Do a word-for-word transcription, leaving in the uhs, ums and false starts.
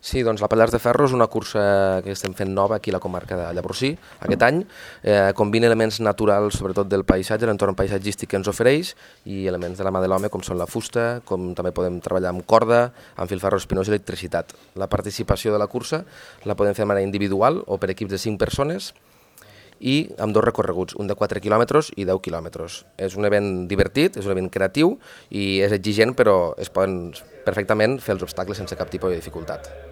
Sí, doncs la Pallars de Ferro és una cursa que estem fent nova aquí a la comarca de Llavorsí aquest any. Eh, combina elements naturals, sobretot del paisatge, l'entorn paisatgístic que ens ofereix, i elements de la mà de l'home, com són la fusta, com també podem treballar amb corda, amb filferro espinós i electricitat. La participació de la cursa la podem fer de manera individual o per equips de cinc persones, i amb dos recorreguts, un de quatre quilòmetres i deu quilòmetres. És un event divertit, és un event creatiu i és exigent, però es poden perfectament fer els obstacles sense cap tipus de dificultat.